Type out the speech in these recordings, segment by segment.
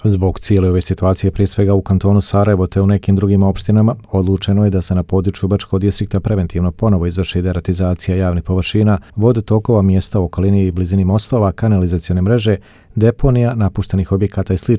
Zbog cijele ove situacije, prije svega u kantonu Sarajevo te u nekim drugim opštinama, odlučeno je da se na području Brčkog distrikta preventivno ponovo izvrši deratizacija javnih površina, vodotokova, mjesta u okolini i blizini mostova, kanalizacione mreže, deponija, napuštenih objekata i sl.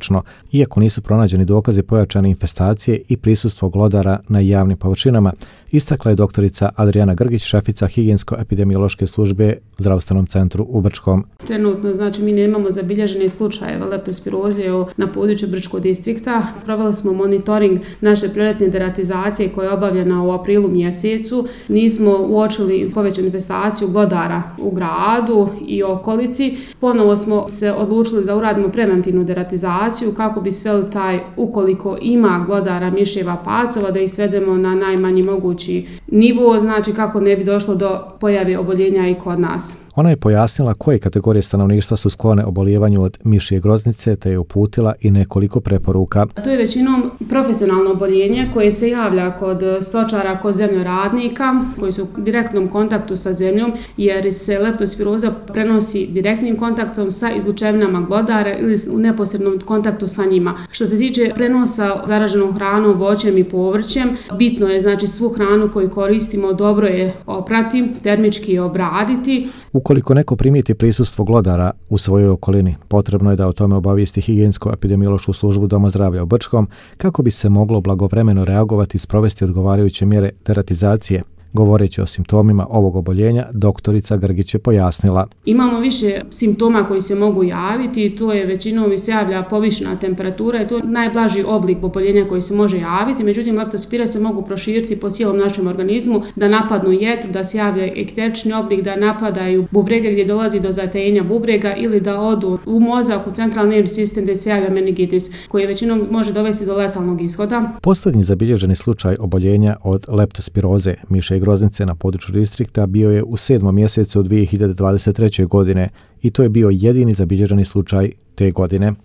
Iako nisu pronađeni dokazi pojačane infestacije i prisustvo glodara na javnim površinama, istakla je doktorica Adriana Grgić, šefica higijensko-epidemiološke službe u zdravstvenom centru u Brčkom. Trenutno, mi nemamo zabilježene slučajeve leptospiroze na području Brčkog distrikta. Proveli smo monitoring naše prioritetne deratizacije koja je obavljena u aprilu mjesecu. Nismo uočili povećanu infestaciju glodara u gradu i okolici. Ponovo smo se odlučili da uradimo preventivnu deratizaciju kako bi sveli taj, ukoliko ima glodara, miševa, pacova, da ih svedemo na najmanji mogući nivo, kako ne bi došlo do pojave oboljenja i kod nas. Ona je pojasnila koje kategorije stanovništva su sklone obolijevanju od mišje groznice, te je uputila i nekoliko preporuka. To je većinom profesionalno oboljenje koje se javlja kod stočara, kod zemljoradnika koji su u direktnom kontaktu sa zemljom, jer se leptospiroza prenosi direktnim kontaktom sa izlučevinama glodara ili u neposrednom kontaktu sa njima. Što se tiče prenosa zaraženom hranom, voćem i povrćem, bitno je svu hranu koju koristimo dobro je oprati, termički obraditi. Ukoliko neko primijeti prisustvo glodara u svojoj okolini, potrebno je da o tome obavijesti higijensko-epidemiološku službu Doma zdravlja u Brčkom kako bi se moglo blagovremeno reagovati i sprovesti odgovarajuće mjere deratizacije. Govoreći o simptomima ovog oboljenja, doktorica Grgić je pojasnila. Imamo više simptoma koji se mogu javiti, to je većinom se javlja povišena temperatura i to je najblaži oblik oboljenja koji se može javiti, međutim leptospire se mogu proširiti po cijelom našem organizmu, da napadnu jetru, da se javlja ekterični oblik, da napadaju bubrege gdje dolazi do zatajenja bubrega ili da odu u mozak, u centralni nervni sistem gdje se javlja meningitis, koji većinom može dovesti do letalnog ishoda. Posljednji zabilježeni slučaj oboljenja od leptospiroze mišje groznice na području distrikta bio je u 7. mjesecu 2023. godine i to je bio jedini zabilježeni slučaj te godine.